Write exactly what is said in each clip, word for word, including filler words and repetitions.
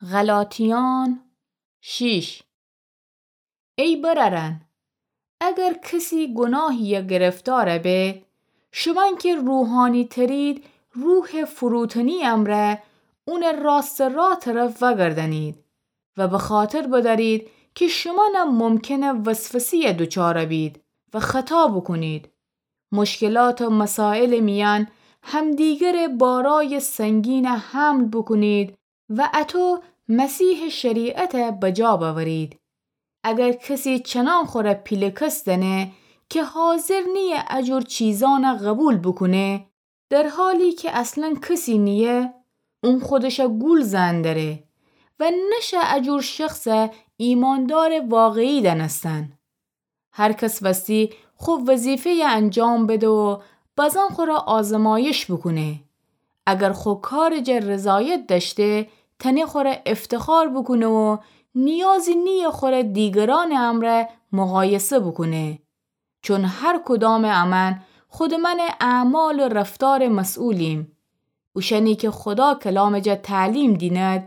غلاطیان شیش. ای برأرأن، اگر کسی گوناهیی گرفتار به، شومأن کی روحانی ترید، روح فروتنی امرأ اونٚ راستٚ راه طرف وأگردأنید و بخاطر بدأرید کی شومأنم ممکنه وسوسه‌یی دوچار بید و خطا بوکونید. مشکلات و مسائلٚ میأن همدیگرٚ بارای سنگین حمل بوکونید و اطو مسیحٚ شریعت بجا بأورید. اگر کسی چنان خوره پیله‌کس دأنه کی حاضر نییه اجور چیزأن قوبیل بوکونه، در حالی کی اصلا کسی نییه، اون خودش گول زئن دره و نشه اجور شخص ایماندارٚ واقعی دأنستن. هر کس وستی خو وظیفه‌یی انجام بده و بازان خوره آزمایش بوکونه. اگر خو کارٚ جا رضایت دأشته، تأنه خوره افتخار بوکونه و نیازی نییه خوره دیگرأنٚ امرأ مقایسه بوکونه. چون هر کدامٚ امأن خودٚ مأنٚ اعمال و رفتارٚ مسئولیم. اوشأنی کی خودا کلامٚ جا تعلیم دینید،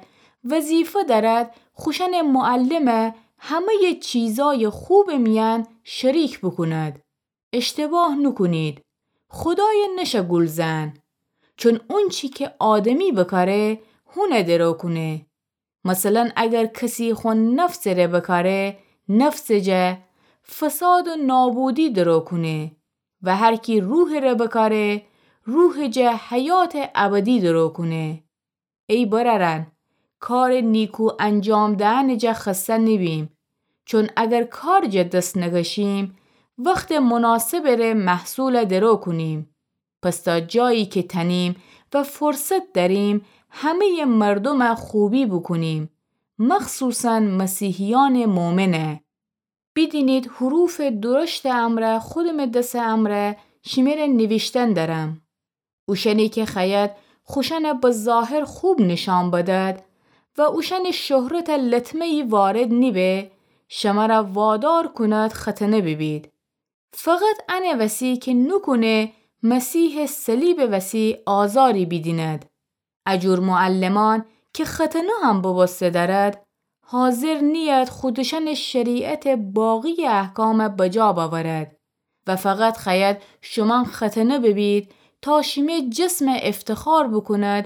وظیفه دأرید خوشأنٚ معلمٚ همه‌یٚ چیزأیٚ خوبٚ میأن شریک بوکونید. اشتباه نوکونید. خودای نشه گول زئن. چون اونچی کی آدمی بکاره، هونه درو کونه. مثلا اگر کسی خو نفسٚ ره بکاره، نفسٚ جا فساد و نابودی درو کونه و هر کی روحٚ ره بکاره، روحٚ جا حیاتٚ ابدی درو کونه. ای برأرأن، کارٚ نیکو انجام دئنٚ جا خسته نیبیم، چون اگر کارٚ جا دس نکشیم، وختٚ مناسبٚ ره محصول درو کونیم. پس تا جایی کی تأنیم و فرصت دأریم، همه‌یٚ مردوم خوبی بوکونیم، مخصوصا مسیحیأنٚ مؤمن. بیدینید حروفٚ درشتٚ امرأ خودمٚ دسٚ امرأ شیمره نیویشتن دأرم. اوشأنی کی خوأید خوشأن به ظاهر خوب نیشأن بدید و اوشأنٚ شهرت لطمه‌یی وارد نیبه، شمر وادار کونید ختنه بیبید. فقط انه وسی کی نوکونه مسیحٚ صلیبٚ وسی آزاری بیدینید. اجور معلمأن کی ختنه هم ببوسته دأرید، حاضر نیید خودشأنٚ شریعتٚ باقی احکام بجا بأورید و فقط خوأید شومأن ختنه بیبید تا شیمی جسم افتخار بوکونید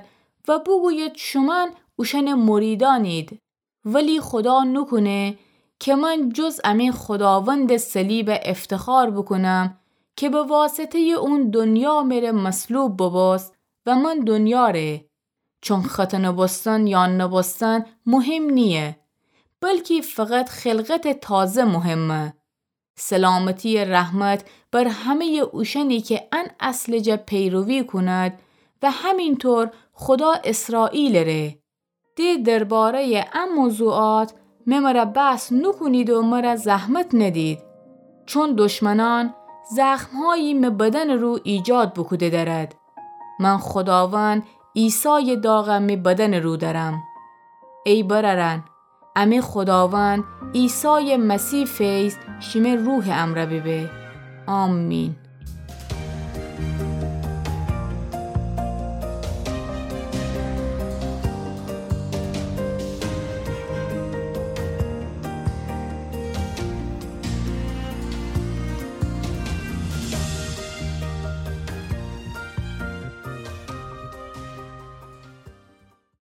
و بوگوید شومأن اوشأنٚ مریدأنید. ولی خودا نوکونه کی من جز امی خوداوندٚ صلیب افتخار بوکونم کی به واسطه‌یٚ اون دنیا مره مصلوب ببوست و من دنیا ره. چون ختنه بوستن یا نبوستن مهم نییه، بلکی فقط خلقتٚ تازه مهمه. سلامتیٚ رحمت بر همه‌یٚ اوشأنی کی ان اصلٚ جا پیروی کونید و همینطور خودا اسرائیلٚ ره. د درباره‌یٚ ا موضوعات می مره بحث نوکونید و مره زحمت ندید، چون دشمنأن زخم‌هایی می بدنٚ رو ایجاد بوکوده دأرید. من خوداوند عیسایٚ داغ می بدنٚ رو دأرم. ای برأرأن، امی خوداوند عیسایٚ مسیح فیض شیمی روحٚ امرأ بیبه. آمین.